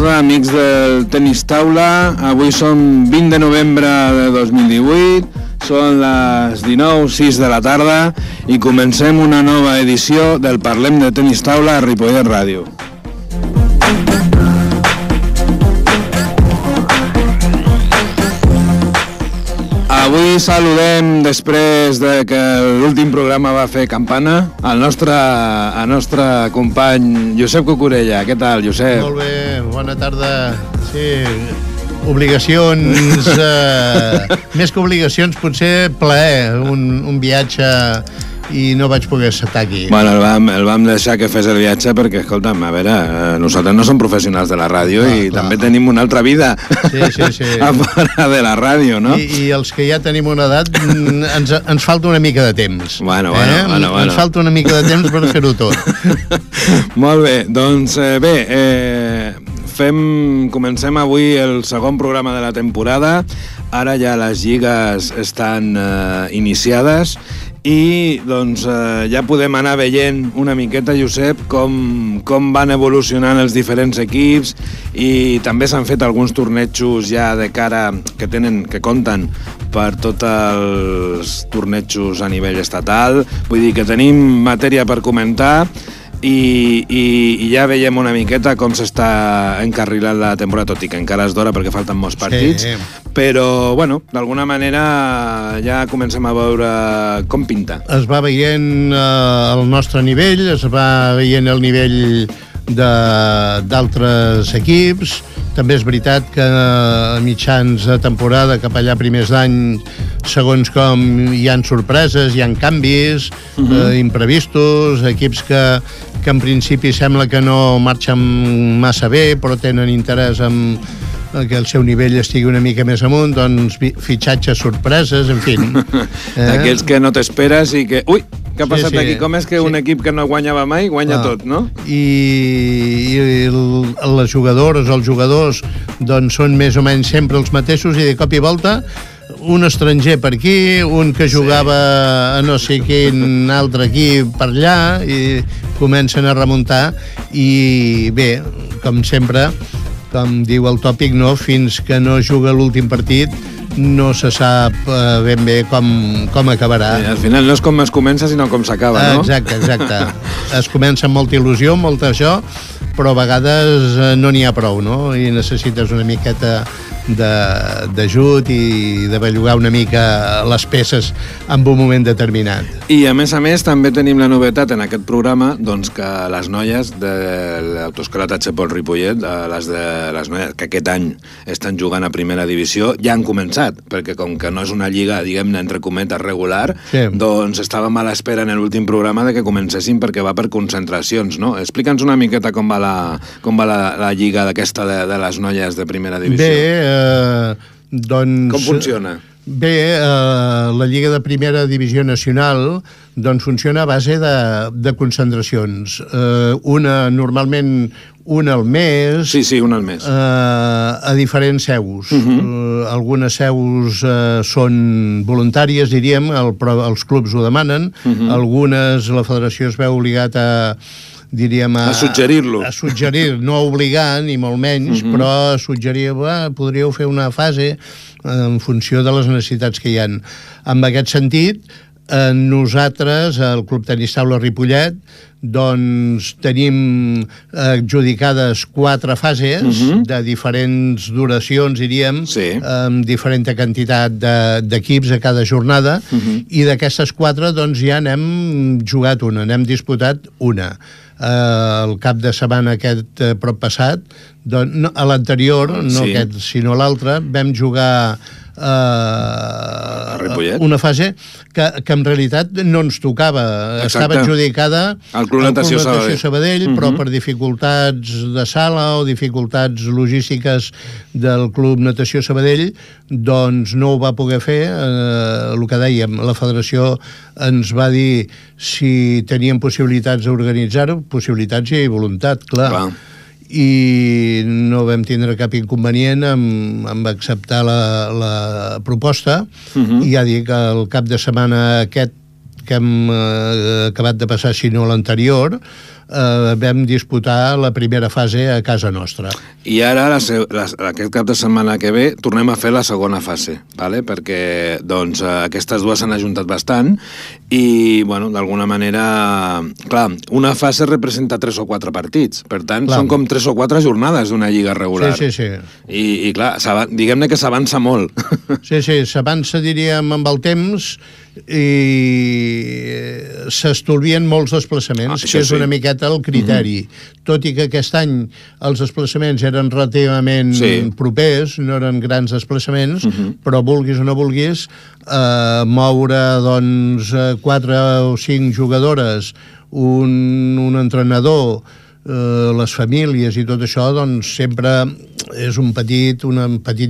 tarda, amics del Tenis Taula. Avui som 20 de novembre de 2018, són les 19:06 de la tarda i comencem una nova edició del Parlem de Tenis Taula a Ripollet Ràdio. Avui saludem, després de que l'últim programa va fer campana, el nostre company Josep Cucurella. Què tal, Josep? Molt bé, bona tarda. Sí, obligacions, més que obligacions, potser plaer, un viatge, i no vaig poder estar aquí. Bueno, el vam deixar que fes el viatge perquè, escolta'm, a veure, nosaltres no som professionals de la ràdio i també tenim una altra vida a fora de la ràdio, no? I els que ja tenim una edat ens falta una mica de temps. Bueno. Ens falta una mica de temps per fer-ho tot. Molt bé, doncs comencem avui el segon programa de la temporada. Ara ja les lligues estan iniciades i doncs ja podem anar veient una miqueta, Josep, com van evolucionant els diferents equips, i també s'han fet alguns tornejos ja de cara que compten per tots els tornejos a nivell estatal. Vull dir que tenim matèria per comentar i ja veiem una miqueta com s'està encarrilant la temporada, tot i que encara és d'hora perquè falten molts partits, però, bueno, d'alguna manera ja comencem a veure com pinta. Es va veient el nostre nivell, es va veient el nivell d'altres equips. També és veritat que a mitjans de temporada, cap allà primers d'any, segons com hi han sorpreses, hi han canvis imprevistos, equips que en principi sembla que no marxen massa bé, però tenen interès en que el seu nivell estigui una mica més amunt, doncs fitxatges, sorpreses, en fi. D'aquells que no t'esperes i que... Ui, què ha passat aquí? Com és que un equip que no guanyava mai, guanya tot, no? I les jugadores, els jugadors, doncs són més o menys sempre els mateixos, i de cop i volta un estranger per aquí, un que jugava a no sé quin altre equip per allà, i comencen a remuntar, i bé, com sempre, com diu el tòpic, no? Fins que no juga l'últim partit no se sap ben bé com acabarà. Al final no és com es comença, sinó com s'acaba, no? Exacte. Es comença amb molta il·lusió, molt això, però a vegades no n'hi ha prou, no? I necessites una miqueta d'ajut i de bellugar una mica les peces en un moment determinat. I a més també tenim la novetat en aquest programa, doncs, que les noies de l'Autoescola Pol Ripollet, les noies que aquest any estan jugant a primera divisió, ja han començat, perquè com que no és una lliga, diguem-ne, entre cometes, regular, doncs estàvem a l'espera en l'últim programa de que comencessin, perquè va per concentracions, no? Explica'ns una miqueta com va la lliga d'aquesta de les noies de primera divisió. Bé, doncs... Com funciona? Bé, la Lliga de Primera Divisió Nacional doncs funciona a base de concentracions. Normalment una al mes. Sí, una al mes. A diferents seus. Algunes seus són voluntàries, diríem, els clubs ho demanen. Algunes, la federació es veu obligat a suggerir-lo. A suggerir, no a obligar, ni molt menys, però a suggerir, podríeu fer una fase en funció de les necessitats que hi ha. En aquest sentit, nosaltres, el Club Tenis Taula Ripollet, doncs tenim adjudicades 4 fases de diferents duracions, diríem, amb diferent quantitat d'equips a cada jornada, i d'aquestes 4 doncs ja n'hem jugat una, n'hem disputat una. El cap de setmana aquest prop passat, a l'anterior, no aquest sinó l'altre, vam jugar una fase que en realitat no ens tocava. Estava adjudicada al Club Natació Sabadell, però per dificultats de sala o dificultats logístiques del Club Natació Sabadell, doncs no ho va poder fer. El que dèiem, la federació ens va dir si teníem possibilitats d'organitzar-ho, possibilitats i voluntat, clar. I no vam tindre cap inconvenient amb acceptar la proposta, i ja dic, el cap de setmana aquest que hem acabat de passar, si no l'anterior, vam disputar la primera fase a casa nostra. I ara, aquest cap de setmana que ve, tornem a fer la segona fase, ¿vale? Perquè doncs, aquestes dues s'han ajuntat bastant i, bueno, d'alguna manera... Clar, una fase representa 3 o 4 partits, per tant, són com 3 o 4 jornades d'una lliga regular. Sí. I clar, diguem-ne que s'avança molt. Sí, s'avança, diríem, amb el temps i s'estolvien molts desplaçaments, que és una miqueta el criteri. Tot i que aquest any els desplaçaments eren relativament propers, no eren grans desplaçaments, però vulguis o no vulguis, moure doncs 4 o 5 jugadores, un entrenador, les famílies i tot això, doncs sempre és un petit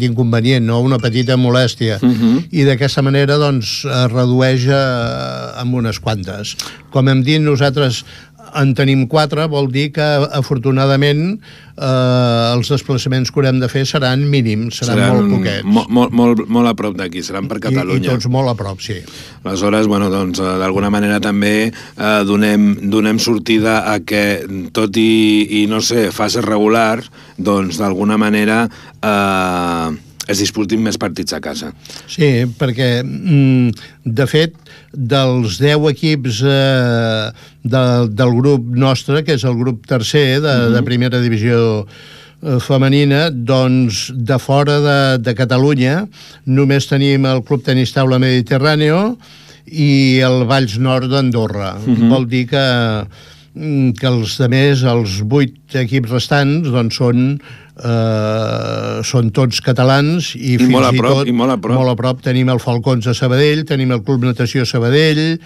inconvenient, no? Una petita molèstia. I d'aquesta manera doncs es redueix amb unes quantes. Com hem dit, nosaltres en tenim 4, vol dir que afortunadament els desplaçaments que haurem de fer seran mínims, seran molt poquets. Molt a prop d'aquí, seran per Catalunya. I tots molt a prop, sí. Aleshores, bueno, doncs, d'alguna manera també donem sortida a que, tot i no sé, fases regulars, doncs d'alguna manera es disputin més partits a casa. Sí, perquè, de fet, dels 10 equips del grup nostre, que és el grup tercer de primera divisió femenina, doncs de fora de Catalunya només tenim el Club Tenis Taula Mediterráneo i el Valls Nord d'Andorra. Vol dir que els altres, els 8 equips restants, doncs són tots catalans i fins i tot molt a prop tenim el Falcons de Sabadell, tenim el Club Natació Sabadell,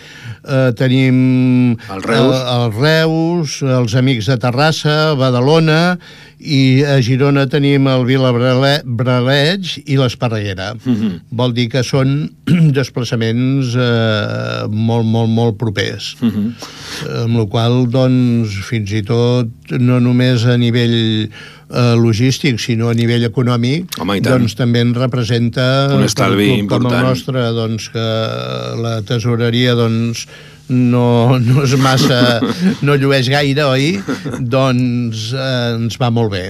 tenim el Reus, els Amics de Terrassa, Badalona, i a Girona tenim el Vilabraleig i l'Esparreguera. Vol dir que són desplaçaments molt propers. Amb la qual cosa, doncs, fins i tot no només a nivell logístic, sinó a nivell econòmic, doncs també en representa un estalvi important. Com el nostre, doncs, que la tesoreria doncs no és massa, no llueix gaire, oi? Doncs ens va molt bé.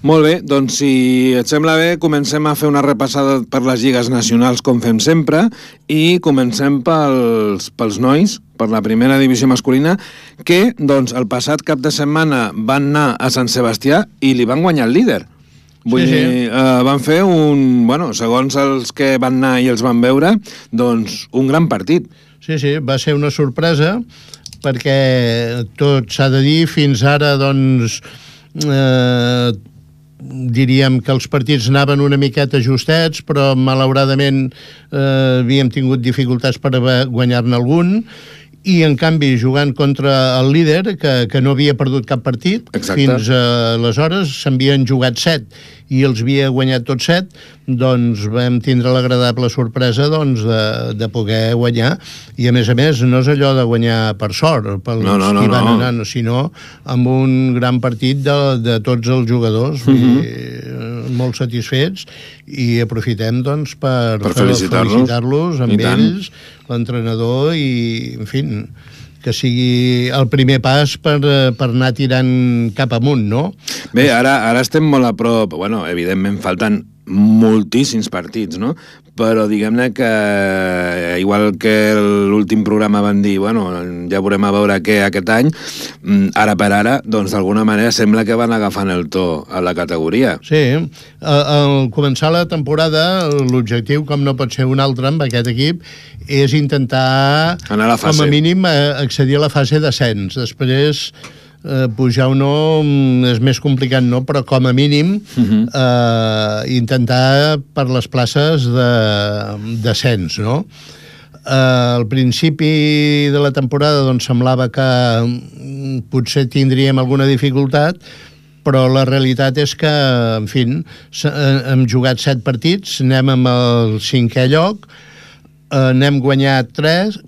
Molt bé, doncs si et sembla bé, comencem a fer una repassada per les lligues nacionals com fem sempre i comencem pels nois, per la primera divisió masculina, que doncs el passat cap de setmana van anar a Sant Sebastià i li van guanyar el líder. Vull dir, van fer segons els que van anar i els van veure, doncs un gran partit. Sí, va ser una sorpresa, perquè tot s'ha de dir, fins ara, doncs, diríem que els partits anaven una miqueta justets, però malauradament havíem tingut dificultats per guanyar-ne algun, i en canvi jugant contra el líder, que no havia perdut cap partit. Fins aleshores s'havien jugat 7 i els havia guanyat tots 7, doncs vam tindre l'agradable sorpresa de poder guanyar, i a més no és allò de guanyar per sort pels qui van anar, sinó amb un gran partit de tots els jugadors, molt satisfets, i aprofitem doncs per felicitar-los amb ells, l'entrenador, i en fi, que sigui el primer pas per anar tirant cap amunt, no? Bé, ara estem molt a prop, evidentment falten moltíssims partits, no? Però diguem-ne que, igual que l'últim programa van dir, ja veurem a veure què aquest any, ara per ara, doncs d'alguna manera sembla que van agafant el to a la categoria. Sí, al començar la temporada, l'objectiu, com no pot ser un altre amb aquest equip, és intentar, com a mínim, accedir a la fase d'ascens. Després, pujar o no és més complicat, no? Però com a mínim intentar per les places d'ascens, no? Al principi de la temporada doncs semblava que potser tindríem alguna dificultat, però la realitat és que, en fi, hem jugat 7 partits, anem amb el 5è lloc, n'hem guanyat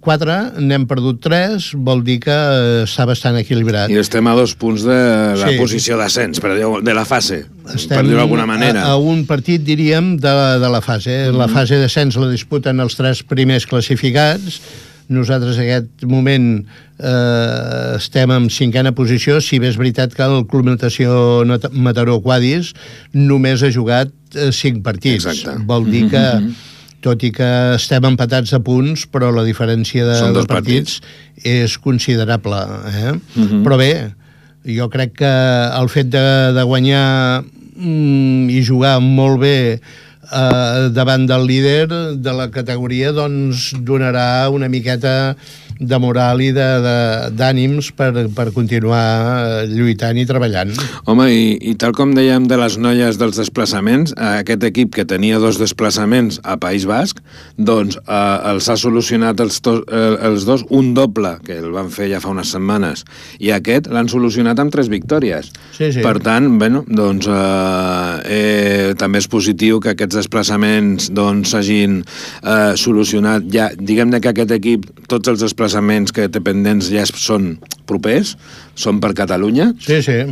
4, n'hem perdut 3, vol dir que està bastant equilibrat. I estem a 2 punts de la posició d'ascens, de la fase, per dir-ho d'alguna manera. A un partit, diríem, de la fase. La fase d'ascens la disputen els 3 primers classificats, Nosaltres en aquest moment estem en 5a posició, si bé és veritat que el Club Natació Mataró Quadis només ha jugat 5 partits. Exacte. Vol dir que, tot i que estem empatats a punts, però la diferència de partits és considerable. Però bé, jo crec que el fet de guanyar i jugar molt bé davant del líder de la categoria, doncs donarà una miqueta de moral i d'ànims per continuar lluitant i treballant. Home, i tal com dèiem de les noies dels desplaçaments, aquest equip que tenia 2 desplaçaments a País Basc, doncs els ha solucionat els dos, un doble, que el van fer ja fa unes setmanes, i aquest l'han solucionat amb 3 victòries. Sí. Per tant, bueno, doncs també és positiu que aquests desplaçaments doncs s'hagin solucionat ja. Diguem-ne que aquest equip, tots els desplaçaments que té pendents ja són propers, són per Catalunya,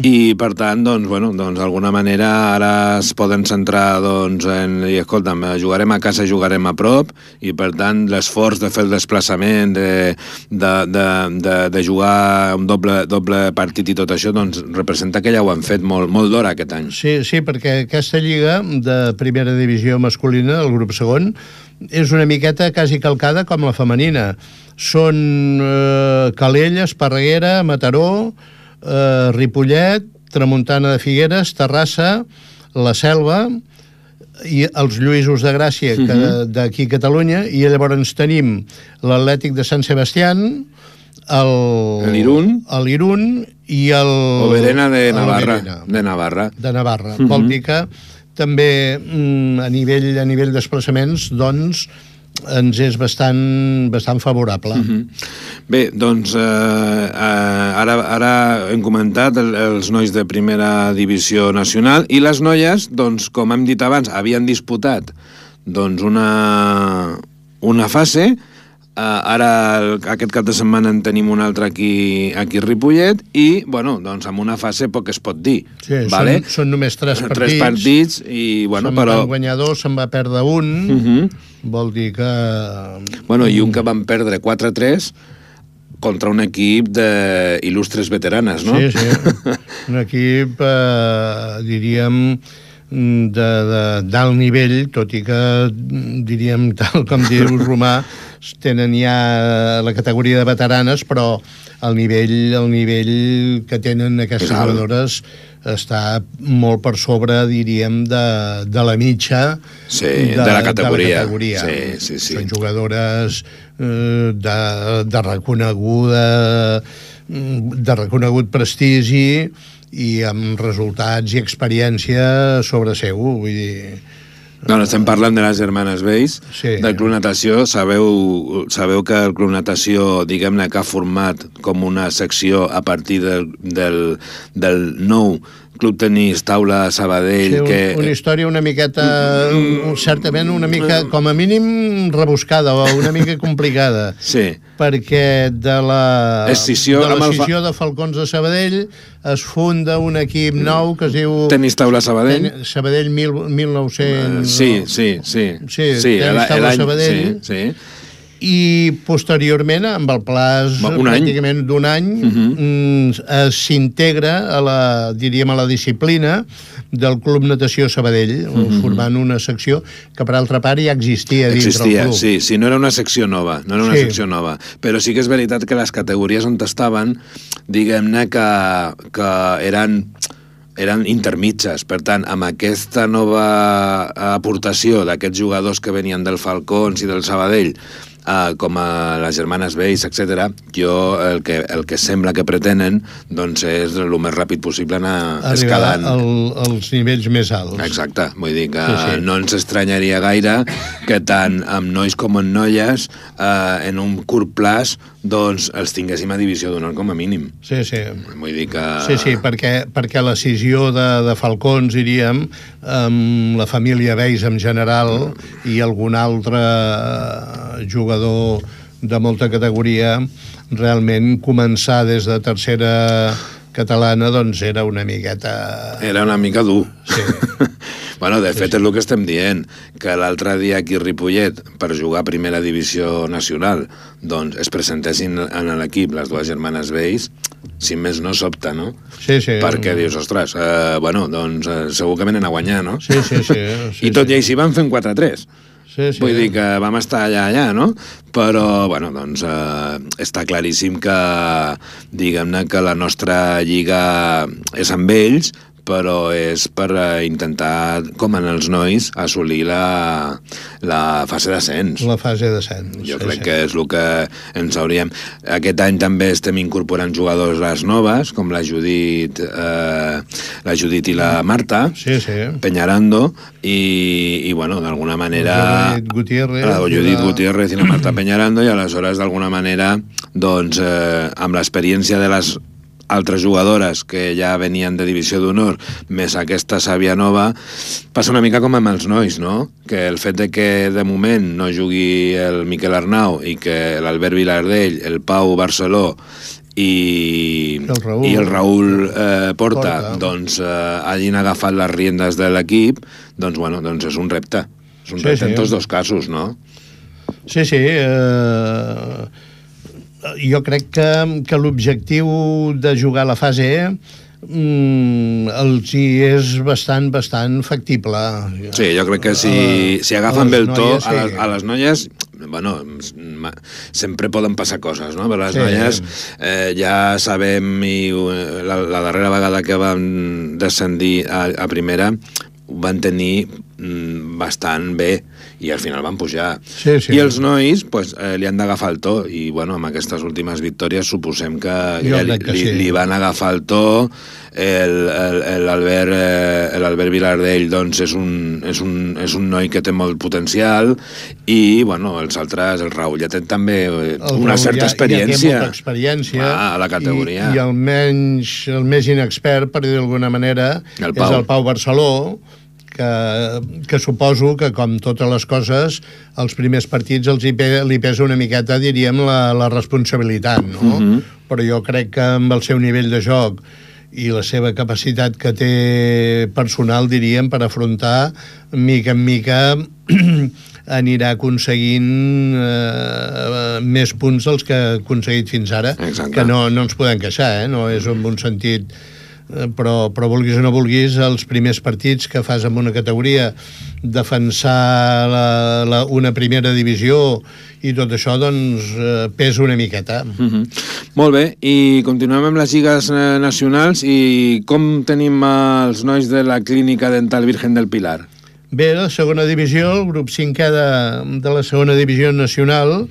i per tant, doncs, bueno, d'alguna manera ara es poden centrar i escolta'm, jugarem a casa, jugarem a prop, i per tant l'esforç de fer el desplaçament, de jugar un doble partit i tot això, doncs representa que ja ho han fet molt d'hora aquest any. Sí, perquè aquesta lliga de primera divisió masculina, el grup segon, és una miqueta quasi calcada com la femenina. Són Calella, Esparreguera, Mataró, Ripollet, Tramuntana de Figueres, Terrassa, La Selva i els Lluïsos de Gràcia d'aquí a Catalunya, i llavors tenim l'Atlètic de Sant Sebastián, l'Irún i Oberena de Navarra. Vol dir que també a nivell desplaçaments, doncs, ens és bastant favorable. Bé, doncs ara hem comentat els nois de primera divisió nacional, i les noies, doncs, com hem dit abans, havien disputat doncs una fase. Ara aquest cap de setmana en tenim un altre aquí a Ripollet, i bueno, doncs amb una fase poc es pot dir. Sí, vale? Són només 3 partits. 3 partits i bueno, se'n van guanyar 2, se'n va perdre un. Vol dir que... Bueno, i un que van perdre 4-3 contra un equip d'il·lustres veteranes, no? Sí. Un equip, diríem, d'alt nivell, tot i que, diríem, tal com diu Romà, tenen ja la categoria de veteranes, però el nivell que tenen aquestes jugadores està molt per sobre, diríem, de la mitja de la categoria. Sí. Són jugadores de reconegut prestigi i amb resultats i experiència sobre seu, vull dir... No, estem parlant de les germanes Veis, del Club Natació. Sabeu que el Club Natació, diguem-ne, que ha format com una secció a partir del nou Club Tenis Taula Sabadell. Sí, una història una miqueta, certament una mica, com a mínim, rebuscada o una mica complicada. Sí. Perquè de la escissió de Falcons de Sabadell es funda un equip nou que es diu... Tenis Taula Sabadell. Sabadell 1900... Sí, Tenis Taula Sabadell. Sí. I posteriorment, amb el plaç pràcticament d'un any, s'integra a la disciplina del Club Natació Sabadell, formant una secció que, per altra part, ja existia dintre el club. Sí, no era una secció nova, secció nova. Però sí que és veritat que les categories on estaven, diguem-ne que eren intermitges. Per tant, amb aquesta nova aportació d'aquests jugadors que venien del Falcons i del Sabadell, com a les germanes Veis, etc., jo el que sembla que pretenen doncs és el més ràpid possible anar escalant als nivells més alts. Exacte, vull dir que no ens estranyaria gaire que tant amb nois com amb noies en un curt plaç doncs els tinguéssim a divisió d'honor com a mínim. Sí. Vull dir que... Sí, perquè l'escissió de Falcons, diríem, amb la família Veis en general i algun altre jugador de molta categoria, realment començar des de tercera catalana doncs era una miqueta... Era una mica dur. Sí. Bueno, de fet, és el que estem dient, que l'altre dia aquí a Ripollet, per jugar a primera divisió nacional, doncs es presentessin en l'equip les dues germanes Veis, si més no sobta, no? Sí, sí. Perquè dius, ostres, bueno, doncs segur que venen a guanyar, no? Sí. I tot i així van fent 4-3. Sí. Vull dir que vam estar allà, no? Però, bueno, doncs està claríssim que, diguem-ne, que la nostra lliga és amb ells, però és per intentar, com en els nois, assolir la fase d'ascens. La fase d'ascens. Jo crec que és el que ens hauríem... Aquest any també estem incorporant jugadores noves, com la Judit i la Marta, Peñarando, i bueno, d'alguna manera... La Judit Gutiérrez i la Marta Peñarando, i aleshores, d'alguna manera, doncs, amb l'experiència de les altres jugadores que ja venien de divisió d'honor, més aquesta Sàvia nova, passa una mica com amb els nois, no? Que el fet de que de moment no jugui el Miquel Arnau i que l'Albert Vilardell, el Pau Barceló i el Raül Porta doncs hagin agafat les riendes de l'equip, doncs bueno, doncs és un repte. És un repte en tots dos casos, no? Sí. Jo crec que l'objectiu de jugar a la fase E els hi és bastant factible. Sí, jo crec que si agafen bé el to, a les noies, bueno, sempre poden passar coses, no? Però les noies ja sabem, i la darrera vegada que van descendir a primera ho van tenir bastant bé i al final van pujar. I els nois li han d'agafar el to i bueno, amb aquestes últimes victòries suposem que li van agafar el to. L'Albert Vilardell doncs és un noi que té molt potencial i bueno, els altres, el Raül ja té també una certa experiència, molta experiència a la categoria, i el més inexpert, per dir d'alguna manera, és el Pau Barceló, que suposo que, com totes les coses, els primers partits li pesa una miqueta, diríem, la responsabilitat, no? Però jo crec que amb el seu nivell de joc i la seva capacitat que té personal, diríem, per afrontar, mica en mica anirà aconseguint més punts dels que ha aconseguit fins ara. Exacte. Que no ens podem queixar, no és en un sentit... Però vulguis o no vulguis, els primers partits que fas en una categoria, defensar una primera divisió i tot això, doncs pesa una miqueta. Molt bé, i continuem amb les lligues nacionals. I com tenim els nois de la Clínica Dental Virgen del Pilar? Bé, la segona divisió, el grup 5è de la segona divisió nacional,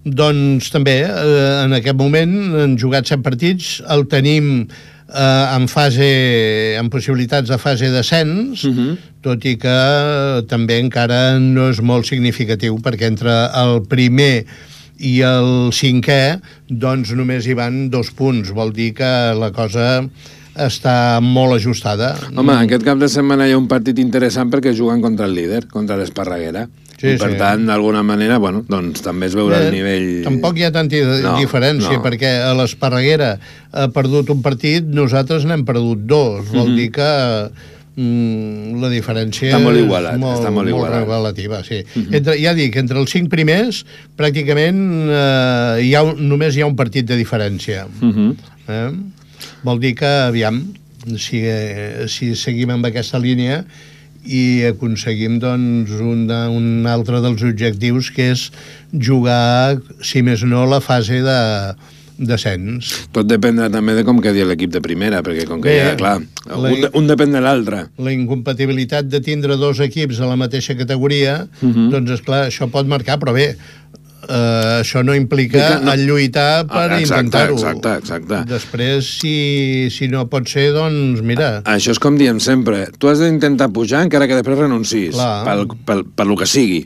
doncs també en aquest moment han jugat 7 partits, el tenim amb possibilitats de fase d'ascens, tot i que també encara no és molt significatiu, perquè entre el primer i el 5è doncs només hi van 2 punts, vol dir que la cosa està molt ajustada. Home, aquest cap de setmana hi ha un partit interessant perquè juguen contra el líder, contra l'Esparreguera. Per tant, d'alguna manera, bueno, doncs també es veurà el nivell... Tampoc hi ha tanta diferència, perquè a l'Esparreguera ha perdut un partit, nosaltres n'hem perdut 2. Vol dir que la diferència està molt igualat, molt relativa, sí. Ja dic, entre els 5 primers, pràcticament només hi ha un partit de diferència. Vol dir que, aviam, si seguim amb aquesta línia i aconseguim doncs un altre dels objectius, que és jugar, si més no, la fase d'ascens. Tot dependrà també de com quedi l'equip de primera, perquè com que ja, clar, un depèn de l'altre. La incompatibilitat de tindre 2 equips a la mateixa categoria, doncs esclar, això pot marcar, però bé, això no implica el lluitar per intentar-ho. Exacte. Després, si no pot ser, doncs mira... Això és com diem sempre, tu has d'intentar pujar encara que després renuncis, per lo que sigui.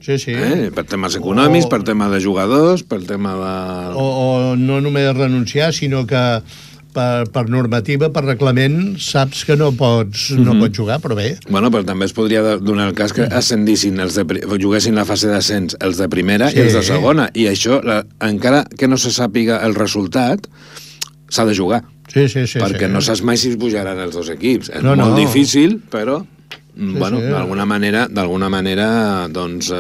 Per temes econòmics, per tema de jugadors, per tema de... O no només renunciar, sinó que per normativa, per reglament, saps que no pots jugar, però bé. Bueno, però també es podria donar el cas que ascendissin, juguessin la fase d'ascens els de primera i els de segona, i això, encara que no se sàpiga el resultat, s'ha de jugar. perquè no saps mai si es pujaran els dos equips. És molt difícil, però d'alguna manera doncs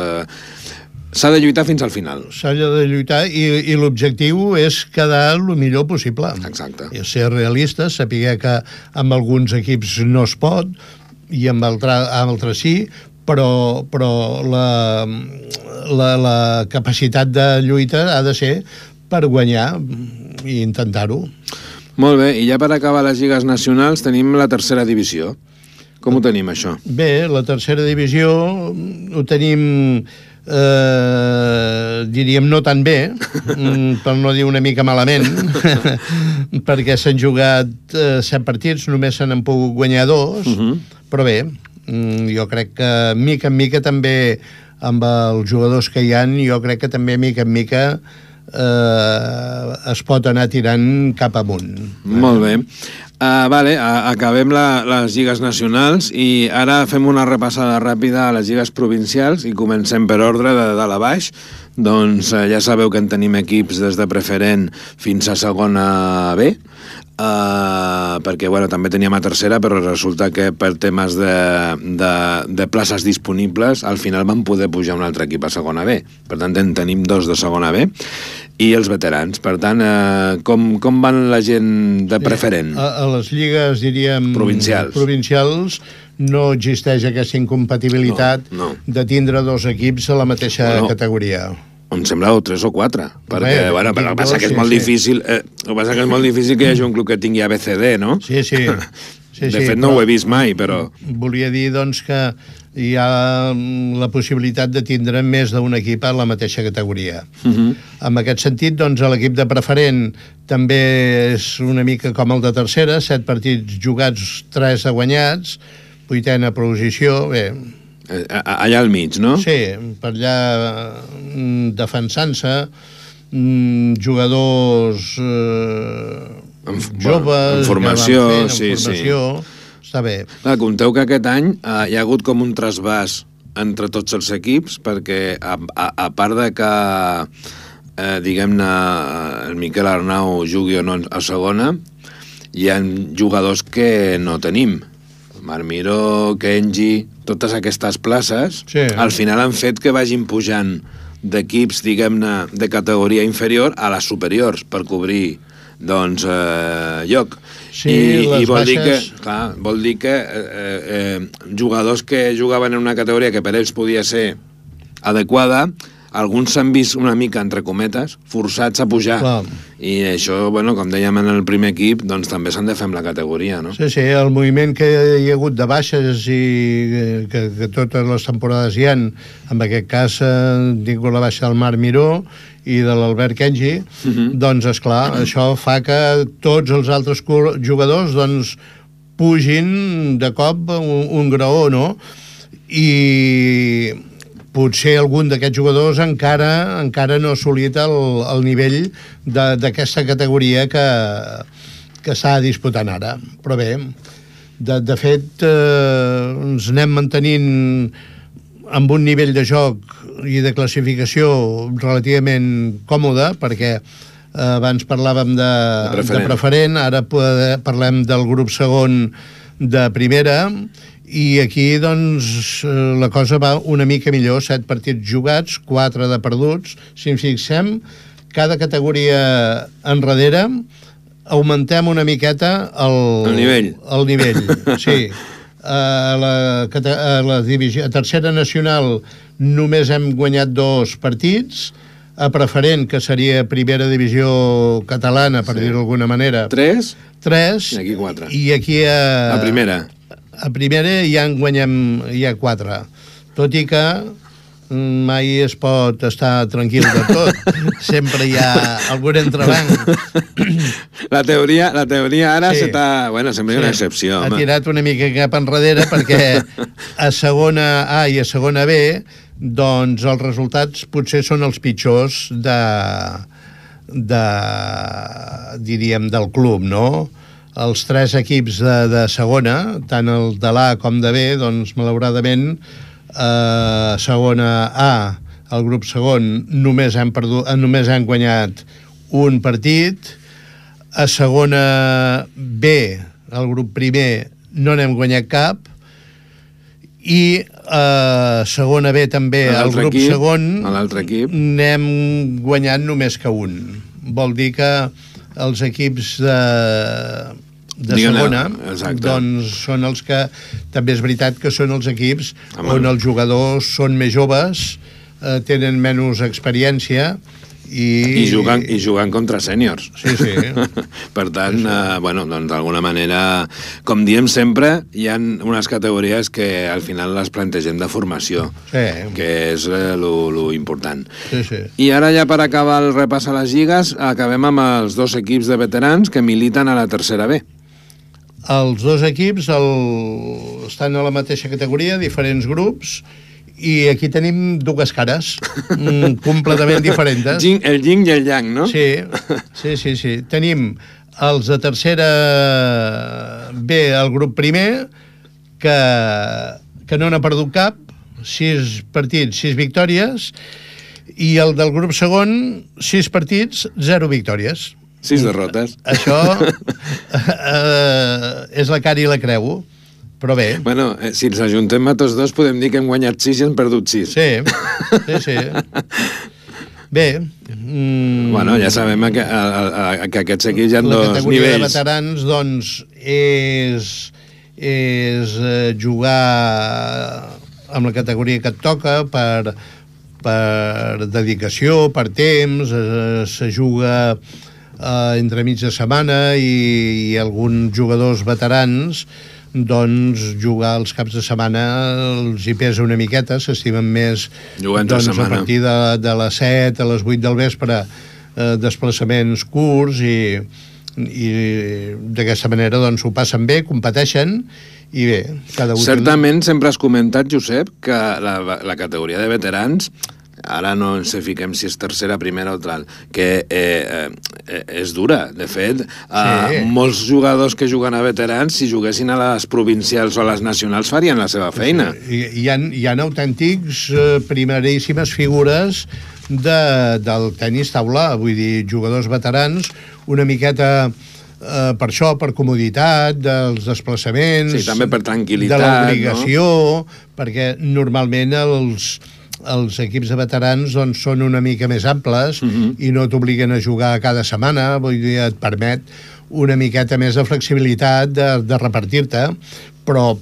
s'ha de lluitar fins al final. S'ha de lluitar i l'objectiu és quedar el millor possible. Exacte. I ser realistes, saber que amb alguns equips no es pot i amb altres sí, però la capacitat de lluita ha de ser per guanyar i intentar-ho. Molt bé, i ja per acabar les lligues nacionals tenim la tercera divisió. Com ho tenim, això? Bé, la tercera divisió ho tenim, diríem, no tan bé, per no dir una mica malament, perquè s'han jugat 7 partits, només se n'han pogut guanyar 2, però bé, jo crec que mica en mica també, amb els jugadors que hi ha, jo crec que també mica en mica es pot anar tirant cap amunt. Molt bé. Acabem les lligues nacionals i ara fem una repassada ràpida a les lligues provincials i comencem per ordre de dalt a baix. Doncs ja sabeu que en tenim equips des de preferent fins a segona B, perquè també teníem a tercera, però resulta que per temes de places disponibles al final van poder pujar un altre equip a segona B. Per tant, en tenim 2 de segona B i els veterans. Per tant, com van la gent de preferent? A les lligues, diríem, provincials no existeix aquesta incompatibilitat de tindre 2 equips a la mateixa categoria. Em sembla 3 o 4, perquè el que passa que és molt difícil, que hi hagi un club que tingui ABCD, no? Sí. De fet, no ho he vist mai, però... Volia dir, doncs, que hi ha la possibilitat de tindre més d'un equip a la mateixa categoria. En aquest sentit, doncs, l'equip de preferent també és una mica com el de tercera, 7 partits jugats, 3 guanyats, 8a posició, bé... Allà al mig, no? Sí, per allà defensant-se, jugadors joves... En formació, sí. Està bé. Compteu que aquest any hi ha hagut com un trasbàs entre tots els equips, perquè a part de que, diguem-ne, el Miquel Arnau jugui o no a segona, hi ha jugadors que no tenim. Marc Miró, Kenji, totes aquestes places, al final han fet que vagin pujant d'equips, diguem-ne, de categoria inferior a les superiors per cobrir, doncs, lloc. I vol dir que jugadors que jugaven en una categoria que per ells podia ser adequada, alguns s'han vist una mica, entre cometes, forçats a pujar. I això, com dèiem en el primer equip, doncs també s'han de fer amb la categoria, no? Sí, el moviment que hi ha hagut de baixes i que totes les temporades hi ha, en aquest cas han tingut la baixa del Marc Miró i de l'Albert Kenji, doncs, esclar, això fa que tots els altres jugadors doncs pugin de cop un graó, no? I potser algun d'aquests jugadors encara no ha assolit el nivell d'aquesta categoria que s'ha disputant ara. Però bé, de fet, ens anem mantenint amb un nivell de joc i de classificació relativament còmode, perquè abans parlàvem de preferent, ara parlem del grup segon de primera, i aquí, doncs, la cosa va una mica millor. 7 partits jugats, 4 de perduts. Si ens fixem, cada categoria enrere augmentem una miqueta el nivell. El nivell, sí. A la divisió, a tercera nacional només hem guanyat 2 partits. A preferent, que seria primera divisió catalana, per dir-ho d'alguna manera. 3. I aquí 4. I aquí a primera. A primera ja en guanyem 4, tot i que mai es pot estar tranquil de tot. Sempre hi ha algun entrebanc. La teoria ara sempre hi ha una excepció. Ha tirat una mica cap enrere perquè a segona A i a segona B doncs els resultats potser són els pitjors diríem, del club, no? Els 3 equips de segona, tant el de l'A com de B, doncs, malauradament, segona A, el grup segon, només han guanyat un partit. A segona B, el grup primer, no n'hem guanyat cap, i a segona B també, el grup segon, n'hem guanyat només que un. Vol dir que els equips de segona, doncs són els que, també és veritat que són els equips on els jugadors són més joves, tenen menys experiència i jugant contra sèniors. Sí. Per tant, bueno, doncs d'alguna manera, com diem sempre, hi ha unes categories que al final les plantegem de formació, que és lo important. I ara ja per acabar el repàs a les lligues, acabem amb els dos equips de veterans que militen a la tercera B. Els dos equips estan a la mateixa categoria, diferents grups, i aquí tenim dues cares completament diferents. El yin i el yang, no? Sí. Tenim els de tercera B, el grup primer, que no n'ha perdut cap, 6 partits, 6 victòries, i el del grup segon, 6 partits, 0 victòries. 6 derrotes. Això és la cara i la creu. Però bé. Bueno, si ens ajuntem a tots dos podem dir que hem guanyat 6 i hem perdut 6. Sí. Bé. Bueno, ja sabem que aquests equips hi ha dos nivells. La categoria de veterans, doncs, és jugar amb la categoria que et toca per dedicació, per temps, se juga entre mig de setmana i alguns jugadors veterans doncs jugar els caps de setmana els hi pesa una miqueta, s'estimen més doncs, a partir de les 7 a les 8 del vespre desplaçaments curts i d'aquesta manera doncs ho passen bé, competeixen i bé, cada un... Certament sempre has comentat, Josep, que la categoria de veterans, ara no ens fiquem si és tercera, primera o tal, que és dura. De fet, molts jugadors que juguen a veterans, si juguessin a les provincials o a les nacionals, farien la seva feina. Hi ha autèntics primeríssimes figures del tenis taula, vull dir, jugadors veterans, una miqueta per això, per comoditat dels desplaçaments, també per tranquil·litat, de l'obligació, perquè normalment els equips de veterans doncs, són una mica més amples i no t'obliguen a jugar cada setmana, vull dir, et permet una miqueta més de flexibilitat de repartir-te, però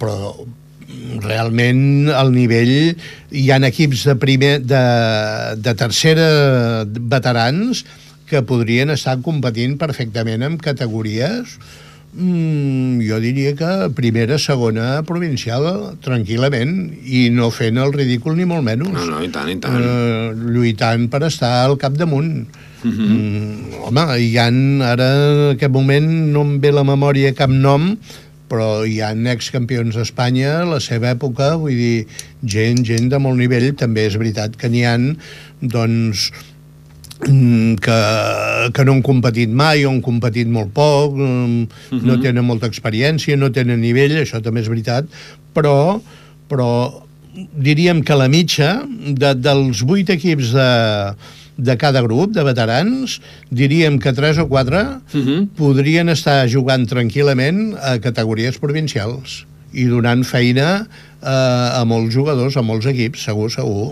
realment al nivell hi ha equips de tercera veterans que podrien estar competint perfectament en categories jo diria que primera, segona provincial, tranquil·lament, i no fent el ridícul ni molt menys. No, i tant. Lluitant per estar al capdamunt. Home, ara en aquest moment no em ve la memòria cap nom, però hi ha excampions d'Espanya a la seva època, vull dir, gent de molt nivell. També és veritat que n'hi ha, doncs, que no han competit mai o han competit molt poc, no tenen molta experiència, no tenen nivell, això també és veritat, però diríem que la mitja dels 8 equips de cada grup de veterans, diríem que 3 o 4 podrien estar jugant tranquil·lament a categories provincials i donant feina a molts jugadors, a molts equips, segur.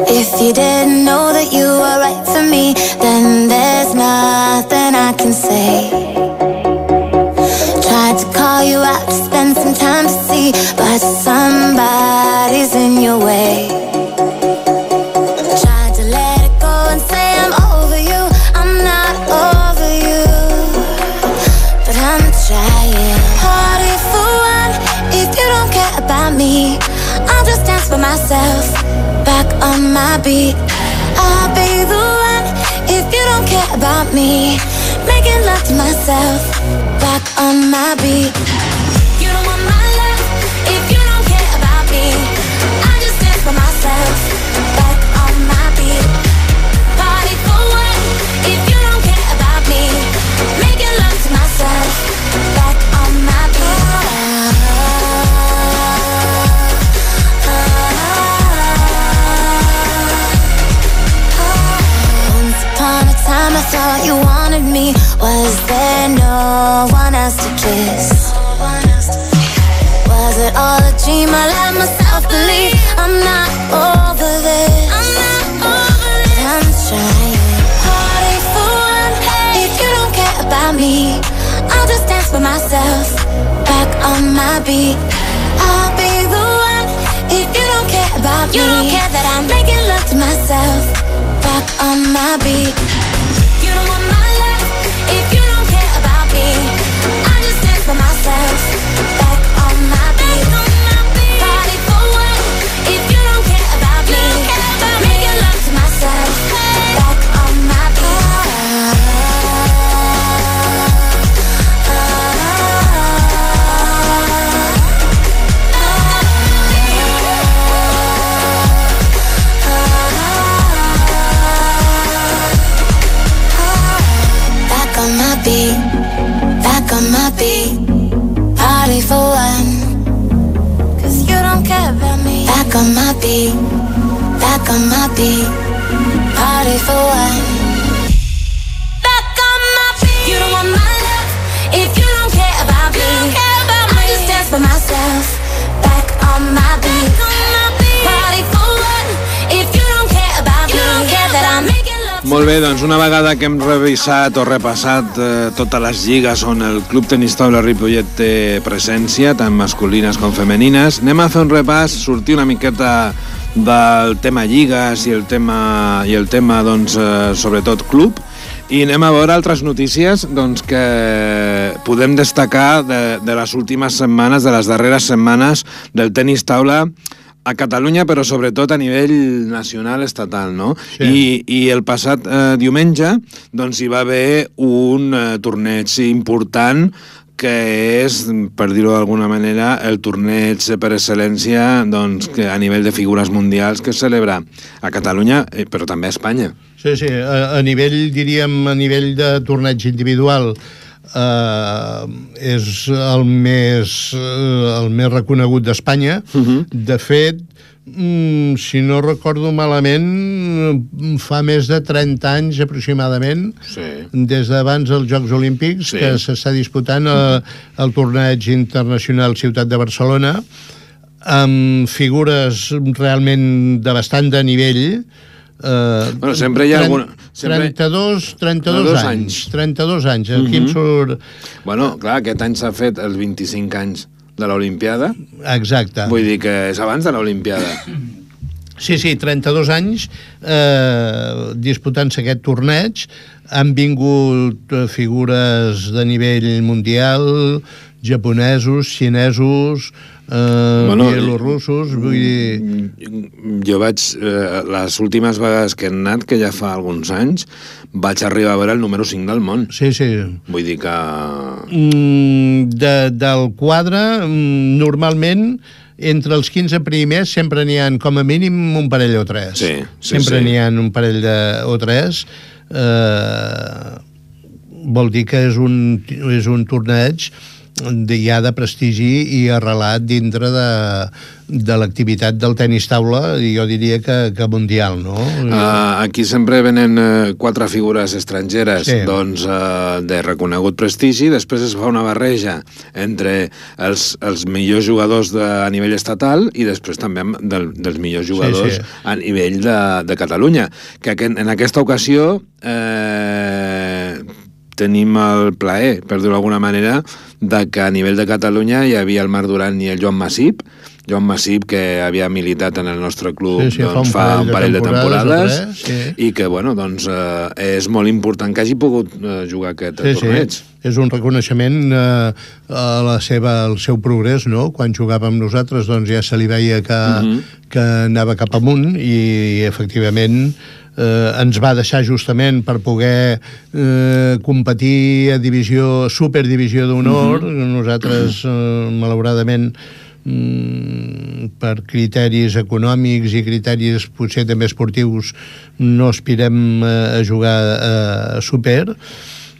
If you didn't know that you were right for me, then there's nothing I can say. Tried to call you out to spend some time to see, but somebody's in your way. Tried to let it go and say I'm over you, I'm not over you, but I'm trying. Party for one, if you don't care about me, I'll just dance for myself, back on my beat. I'll be the one if you don't care about me, making love to myself, back on my beat. You don't want my love if you don't care about me, I just dance for myself, back on my beat. Party for one if you don't care about me, making love to myself, back on my beat. no one else to kiss. Was it all a dream? I let myself believe I'm not over this. But I'm trying. Party for one. If you don't care about me, I'll just dance by myself, back on my beat. I'll be the one. If you don't care about me, you don't care that I'm making love to myself, back on my beat. You don't want my love. If you don't care about me, I'll just dance by myself, back on my beat. Party for one. If you don't care about me, making love to myself, back on my beat. Back on my beat, party for one. 'Cause you don't care about me. Back on my beat, party for one. Back on my beat. You don't want my love if you don't care about me. I just dance by myself, back on my beat. Party for one. If you don't care about me, you don't care that I'm making. Molt bé, doncs una vegada que hem revisat o repassat totes les lligues on el Club Tenis Taula Ripollet té presència, tant masculines com femenines, anem a fer un repàs, sortir una miqueta del tema lligues i el tema doncs, sobretot club, i anem a veure altres notícies doncs, que podem destacar de les últimes setmanes, de les darreres setmanes del tenis taula a Catalunya, però sobretot a nivell nacional, estatal, no? Sí. I el passat diumenge doncs, hi va haver un torneig important que és, per dir-ho d'alguna manera, el torneig per excel·lència doncs, que a nivell de figures mundials que es celebra a Catalunya, però també a Espanya. Sí, sí, a nivell, diríem, a nivell de torneig individual, és el més reconegut d'Espanya. De fet, si no recordo malament, fa més de 30 anys aproximadament, des d'abans dels Jocs Olímpics, que s'està disputant el torneig internacional Ciutat de Barcelona, amb figures realment de bastant de nivell. Bueno, sempre hi ha alguna... 32 anys. 32 anys. Aquí em surt... Bueno, clar, aquest any s'ha fet els 25 anys de l'Olimpiada. Exacte. Vull dir que és abans de l'Olimpiada. Sí, 32 anys disputant-se aquest torneig. Han vingut figures de nivell mundial, japonesos, xinesos, bielorussos, vull dir... Jo vaig, les últimes vegades que he anat, que ja fa alguns anys, vaig arribar a veure el número 5 del món. Sí. Vull dir que... Del quadre, normalment, entre els 15 primers sempre n'hi ha com a mínim un parell o tres. Sempre n'hi ha un parell o tres. Vol dir que és un torneig ja de prestigi i arrelat dintre de l'activitat del tenis taula, i jo diria que mundial, no? Aquí sempre venen 4 figures estrangeres doncs, de reconegut prestigi, després es fa una barreja entre els millors jugadors a nivell estatal i després també dels millors jugadors a nivell de Catalunya, que en aquesta ocasió tenim el plaer, per dir-ho d'alguna manera, de que a nivell de Catalunya hi havia el Marc Duran i el Joan Masip, que havia militat en el nostre club fa un parell de temporades i que doncs, és molt important que hagi pogut jugar aquest torneig. És un reconeixement al seu progrés, no? Quan jugava amb nosaltres doncs ja se li veia que anava cap amunt i efectivament ens va deixar justament per poder competir a superdivisió d'honor. Nosaltres, malauradament, per criteris econòmics i criteris potser també esportius, no aspirem a jugar a super,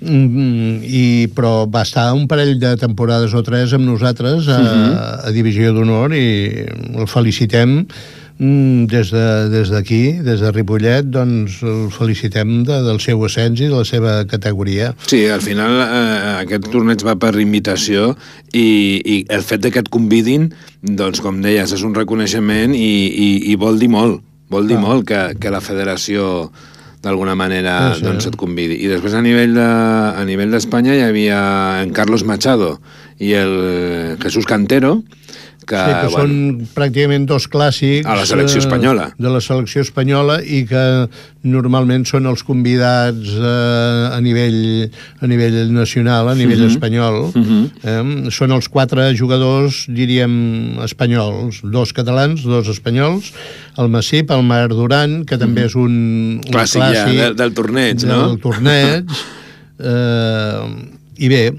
però va estar un parell de temporades o 3 amb nosaltres a Divisió d'Honor i el felicitem des d'aquí, des de Ripollet, doncs el felicitem del seu ascens i de la seva categoria. Sí, al final aquest torneig va per invitació i el fet que et convidin, doncs com deies, és un reconeixement i vol dir molt. Vol dir molt que la federació d'alguna manera doncs et convidi. I després a nivell d'Espanya hi havia en Carlos Machado i el Jesús Cantero, que són pràcticament dos clàssics a la selecció espanyola. De la selecció espanyola i que normalment són els convidats a nivell nacional, a nivell espanyol. Són els 4 jugadors, diríem, espanyols, 2 catalans, 2 espanyols, el Massip, el Marc Duran, que també és un clàssic ja, del torneig, no? Del torneig. I bé,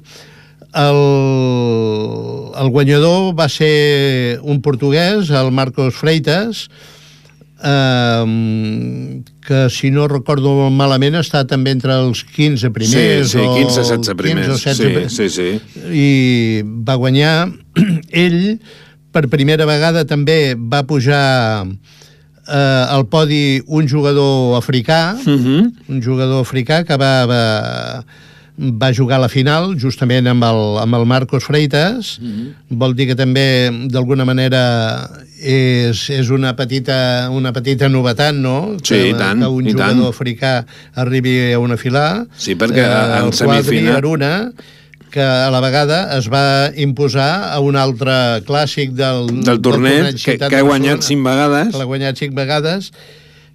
el guanyador va ser un portuguès, el Marcos Freitas, que si no recordo malament està també entre els 15 primers. Sí, 15-16 primers. 15 sí. I va guanyar. Ell, per primera vegada, també va pujar al podi un jugador africà, un jugador africà que va jugar a la final justament amb el Marcos Freitas. Vol dir que també d'alguna manera és una petita novetat, no? Sí, i tant. Que un jugador africà arribi a una final. Sí, perquè en semifinal Aruna, que a la vegada es va imposar a un altre clàssic del torneig que ha guanyat 5 vegades. Que l'ha guanyat 5 vegades.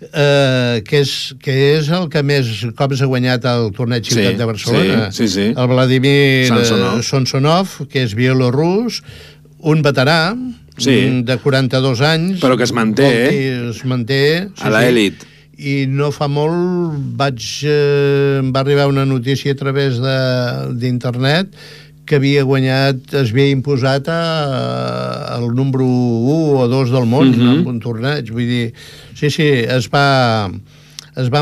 Que és el que més cops ha guanyat el torneig Ciutat de Barcelona. Sí. El Vladimir Sonsonov, que és bielorrus, un veterà de 42 anys. Però que es manté, Es manté a l'elit. I no fa molt va arribar una notícia a través d'internet que havia guanyat, es havia imposat el número 1 o 2 del món en un torneig. Vull dir, sí, es va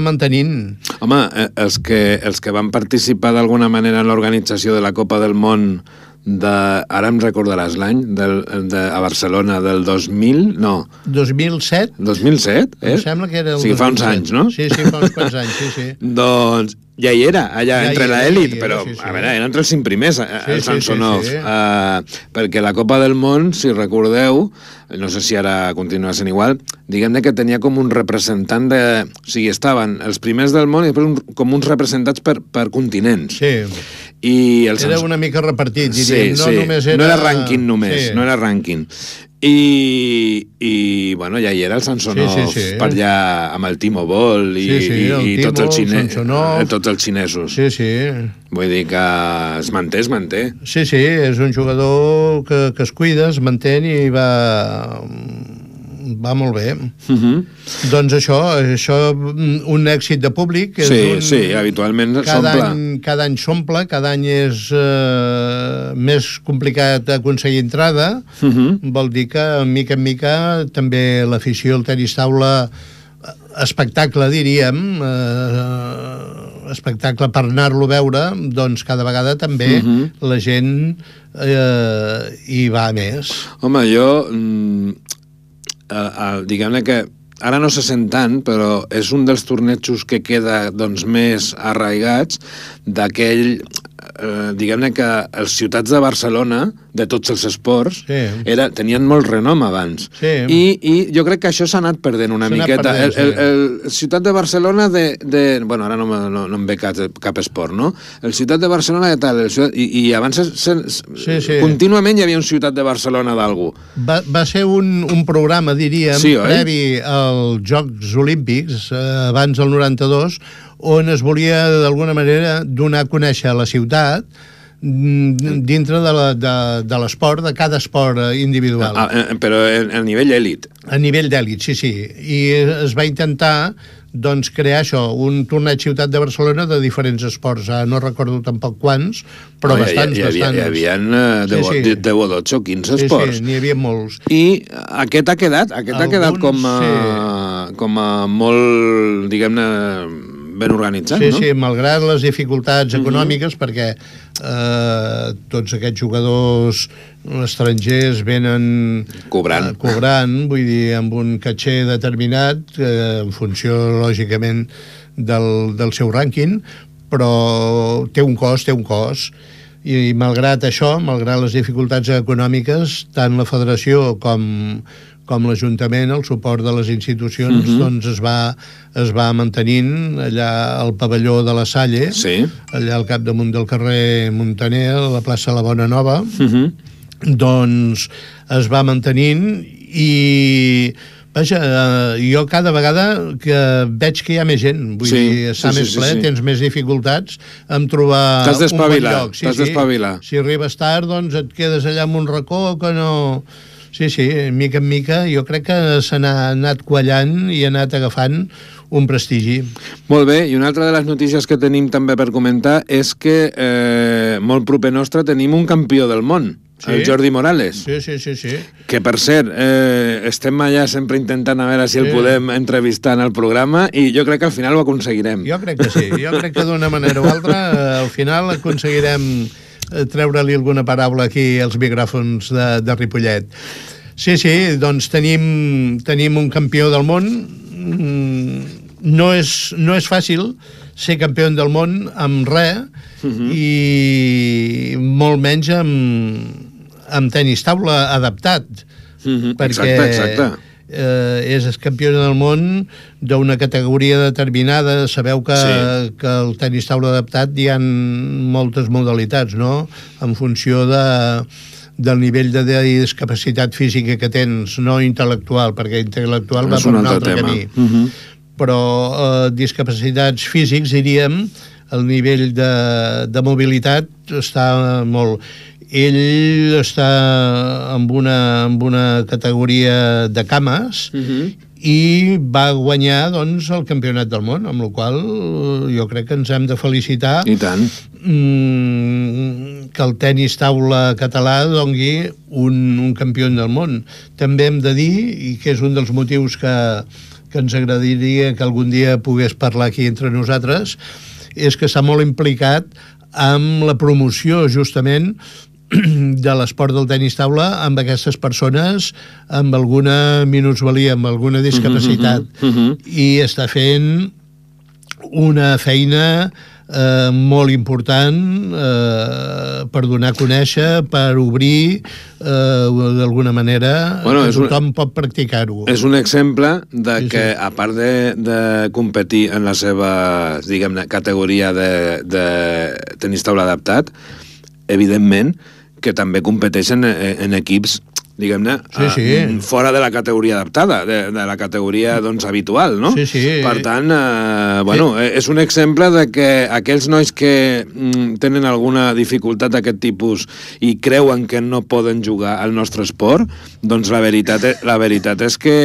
mantenint. Home, els que van participar d'alguna manera en l'organització de la Copa del Món ara em recordaràs l'any a Barcelona del 2000, no 2007? 2007, Em sembla que era el 2007. O sigui, fa uns anys, no? Sí, fa uns quants anys, sí. Doncs ja hi era, allà entre l'elit, però a veure, era entre els 5 primers, el Samsonov, perquè la Copa del Món, si recordeu, no sé si ara continua sent igual, diguem-ne que tenia com un representant o sigui, estaven els primers del món i després com uns representats per continents. Sí. Era una mica repartit, diríem. No era rànquing només, no era rànquing. I bueno, ja hi era el Samsonov per allà amb el Timo Boll i tots els xinesos. Sí. Vull dir que es manté. Sí, és un jugador que es cuida, es manté i va molt bé. Doncs això, un èxit de públic. Sí, habitualment s'omple. Cada any s'omple, cada any és més complicat aconseguir entrada. Vol dir que, mica en mica, també l'afició al tenis taula, espectacle, diríem, espectacle per anar-lo a veure, doncs cada vegada també la gent hi va més. Home, jo diguem-ne que ara no se sent tant, però és un dels tornejos que queda doncs més arraigats d'aquell diguem-ne que els ciutats de Barcelona, de tots els esports, tenien molt renom abans. I jo crec que això s'ha anat perdent una miqueta. El ciutat de Barcelona bueno, ara no em ve cap esport, no? El ciutat de Barcelona de tal, i abans contínuament hi havia un ciutat de Barcelona d'algú. Va ser un programa, diríem, previ als Jocs Olímpics, abans del 92, on es volia d'alguna manera donar a conèixer la ciutat dintre de l'esport, de cada esport individual. Però a nivell èlit. A nivell d'èlit, sí. I es va intentar doncs crear això, un torneig Ciutat de Barcelona de diferents esports. No recordo tampoc quants, però bastants. Hi havia 10 o 12 o 15 esports. Sí, n'hi havia molts. I aquest ha quedat com a molt, diguem-ne, ben organitzat, no? Sí, malgrat les dificultats econòmiques, perquè tots aquests jugadors estrangers venen cobrant, vull dir, amb un caché determinat, en funció, lògicament, del seu rànquing, però té un cost, i malgrat això, malgrat les dificultats econòmiques, tant la federació com l'Ajuntament, el suport de les institucions, doncs es va mantenint allà al pavelló de la Salle, allà al capdamunt del carrer Muntaner, a la plaça La Bona Nova, doncs es va mantenint i... Vaja, jo cada vegada que veig que hi ha més gent, vull dir, està més ple, tens més dificultats en trobar un bon lloc. T'has d'espavilar. Si arribes tard, doncs et quedes allà en un racó que no... Sí, mica en mica, jo crec que s'ha anat quallant i ha anat agafant un prestigi. Molt bé, i una altra de les notícies que tenim també per comentar és que molt proper nostre tenim un campió del món, el Jordi Morales. Sí. Que, per cert, estem allà sempre intentant a veure si el podem entrevistar en el programa i jo crec que al final ho aconseguirem. Jo crec que sí, jo crec que d'una manera o altra al final aconseguirem treure-li alguna paraula aquí als micròfons de Ripollet. Sí, doncs tenim un campió del món. No és fàcil ser campió del món amb res i molt menys amb tenis taula adaptat. Perquè exacte. És campió del món d'una categoria determinada. Sabeu que el tenis taula adaptat hi ha moltes modalitats, no? En funció del nivell de discapacitat física que tens, no intel·lectual, perquè intel·lectual va per un altre camí. Però discapacitats físics, diríem, el nivell de mobilitat està molt... Ell està amb una categoria de cames i va guanyar, doncs, el campionat del món, amb la qual jo crec que ens hem de felicitar. I tant. Que el tenis taula català dongui un campió del món. També hem de dir, i que és un dels motius que ens agradaria que algun dia pogués parlar aquí entre nosaltres, és que està molt implicat amb la promoció, justament, de l'esport del tenis taula amb aquestes persones amb alguna minusvalia, amb alguna discapacitat. I està fent una feina molt important per donar a conèixer, per obrir d'alguna manera, que tothom pot practicar-ho. És un exemple de que, a part de competir en la seva, diguem-ne, categoria de tenis taula adaptat, evidentment que també competeixen en equips, diguem-ne, fora de la categoria adaptada, de la categoria, doncs, habitual, no? Per tant, és un exemple de que aquells nois que tenen alguna dificultat d'aquest tipus i creuen que no poden jugar al nostre esport, doncs la veritat és que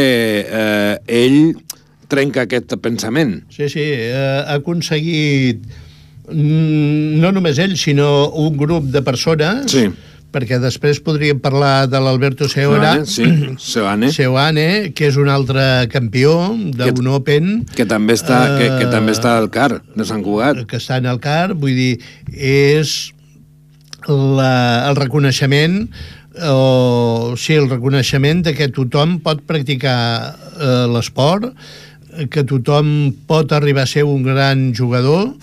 ell trenca aquest pensament. Ha aconseguit no només ell, sinó un grup de persones, perquè després podríem parlar de l'Alberto Seoane, que és un altre campió d'un Open. Que també està al CAR de Sant Cugat. Que està en el CAR, vull dir, és el reconeixement el reconeixement de que tothom pot practicar l'esport, que tothom pot arribar a ser un gran jugador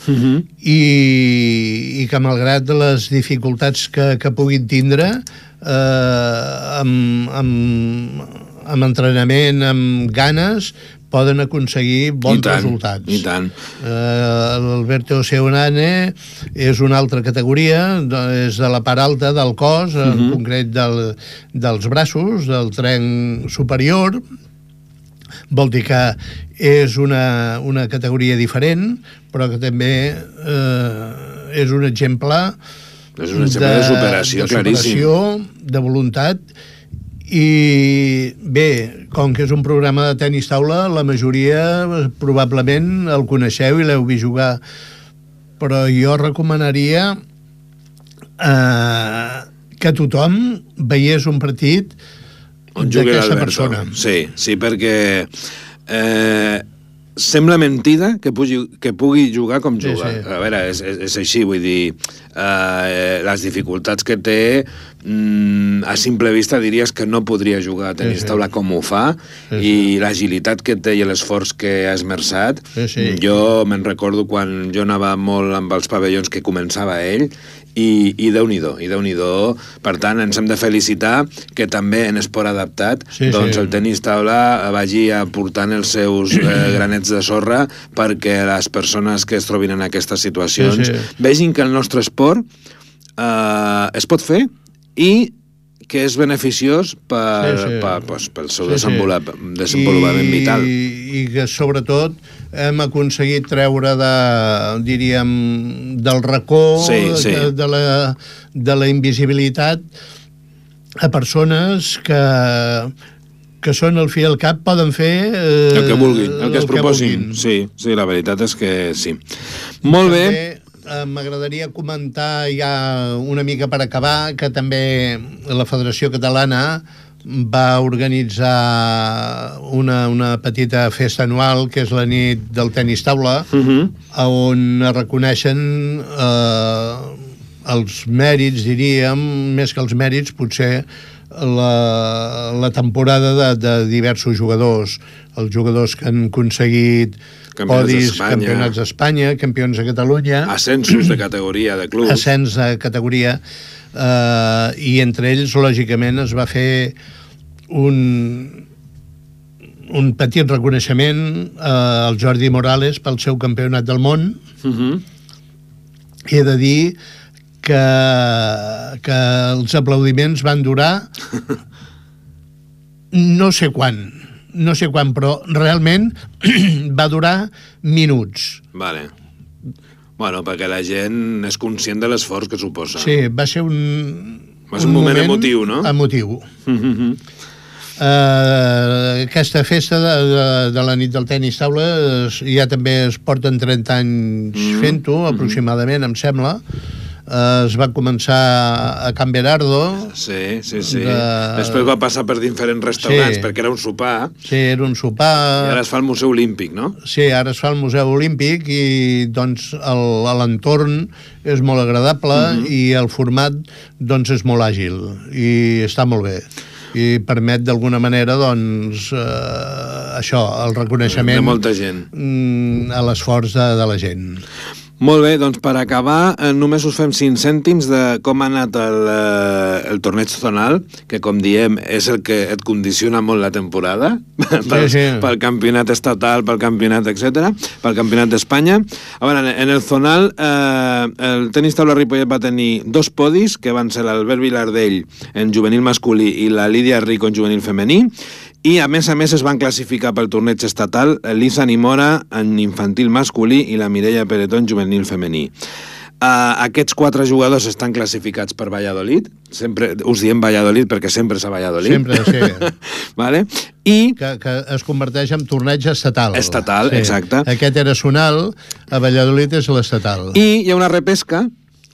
i que malgrat les dificultats que puguin tindre amb entrenament, amb ganes, poden aconseguir bons resultats. I tant. L'Alberto Seoane és una altra categoria, és de la part alta del cos, en concret dels braços, del trenc superior. Vol dir que és una categoria diferent, però que també és un exemple de superació, de voluntat. I bé, com que és un programa de tenis taula, la majoria probablement el coneixeu i l'heu vist jugar, però jo recomanaria que tothom veiés un partit d'aquesta persona. Sí, perquè sembla mentida que pugui jugar com juga. Sí. A veure, és així, vull dir, les dificultats que té, a simple vista diries que no podria jugar a tenis taula com ho fa, i l'agilitat que té i l'esforç que ha esmerçat. Jo me'n recordo quan jo anava molt amb els pavellons que començava ell, i Déu-n'hi-do. Per tant, ens hem de felicitar que també en esport adaptat doncs el tenis taula vagi aportant els seus granets de sorra perquè les persones que es trobin en aquestes situacions vegin que el nostre esport es pot fer i que és beneficiós pel seu desenvolupament vital. I que, sobretot, hem aconseguit treure del racó de la invisibilitat a persones que són al fi i al cap, poden fer el que vulguin, el que es proposin. Sí, la veritat és que sí. Molt bé. M'agradaria comentar ja una mica per acabar que també la Federació Catalana va organitzar una petita festa anual que és la nit del tenis taula, on es reconeixen els mèrits, diríem, més que els mèrits, potser la temporada de diversos jugadors, els jugadors que han aconseguit podis, campionats d'Espanya, campions de Catalunya, ascensos de categoria de clubs, ascens de categoria, i entre ells, lògicament, es va fer un petit reconeixement al Jordi Morales pel seu campionat del món. I he de dir que els aplaudiments van durar no sé quan, però realment va durar minuts. Vale. Bueno, perquè la gent és conscient de l'esforç que suposa. Sí, va ser un moment emotiu, no? Emotiu. Aquesta festa de la nit del tenis taula ja també es porten 30 anys fent-ho, aproximadament, em sembla. Es va començar a Can Berardo. Sí. Després va passar per diferents restaurants, perquè era un sopar. Sí, era un sopar. I ara es fa al Museu Olímpic, no? Sí, ara es fa al Museu Olímpic i doncs l'entorn és molt agradable i el format doncs és molt àgil i està molt bé. I permet d'alguna manera doncs això, el reconeixement de molta gent a l'esforç de la gent. Molt bé, doncs per acabar només us fem 5 cèntims de com ha anat el torneig zonal, que com diem és el que et condiciona molt la temporada pel campionat estatal, pel campionat, etc., pel campionat d'Espanya. A veure, en el zonal el tenis taula Ripollet va tenir 2 podis, que van ser l'Albert Vilardell en juvenil masculí i la Lídia Rico en juvenil femení, i a més es van classificar pel torneig estatal Lisa Nimora en infantil masculí i la Mireia Peretó en juvenil femení. Aquests 4 jugadors estan classificats per Valladolid, sempre us diem Valladolid perquè sempre és a Valladolid. Sempre, sí. Vale? I que es converteix en torneig estatal. Estatal, sí. Exacte. Aquest era zonal, a Valladolid és l'estatal. I hi ha una repesca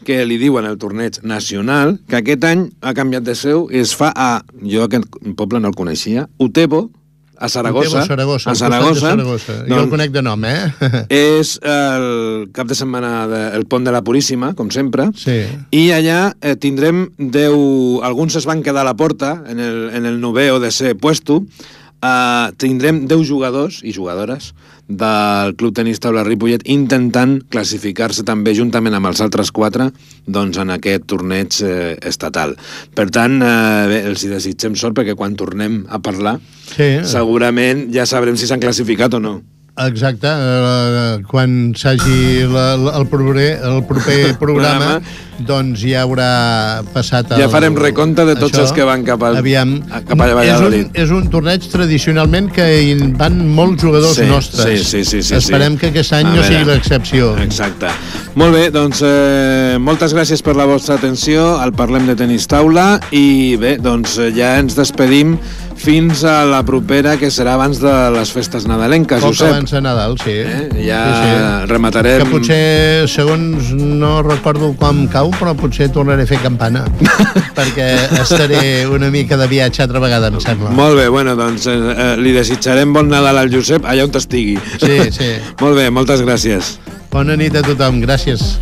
que li diuen el torneig nacional, que aquest any ha canviat de seu i es fa jo aquest poble no el coneixia, Utebo, a Saragossa. A Saragossa. Jo el conec de nom, És el cap de setmana del Pont de la Puríssima, com sempre, i allà tindrem 10... Alguns es van quedar a la porta en el 9è o 10è puesto. Tindrem 10 jugadors i jugadores del Club Tenis Taula Ripollet intentant classificar-se també juntament amb els altres 4 doncs en aquest torneig estatal. Per tant, bé, els hi desitgem sort perquè quan tornem a parlar segurament ja sabrem si s'han classificat o no. Exacte, quan s'hagi el proper programa doncs ja haurà passat ja farem recompte de tots els que van cap a Valladolid. És un torneig tradicionalment que hi van molts jugadors nostres. Sí. Esperem que aquest any no sigui l'excepció. Exacte. Molt bé, doncs moltes gràcies per la vostra atenció al Parlem de Tenis Taula i bé, doncs ja ens despedim fins a la propera, que serà abans de les festes nadalenques, Poc Josep. abans de Nadal, sí. Ja Sí. rematarem... Que potser, segons no recordo com cau, però potser tornaré a fer campana, perquè estaré una mica de viatge altra vegada, em sembla. Molt bé, bueno, doncs li desitjarem bon Nadal al Josep allà on estigui. Sí, sí. Molt bé, moltes gràcies. Bona nit a tothom, gràcies.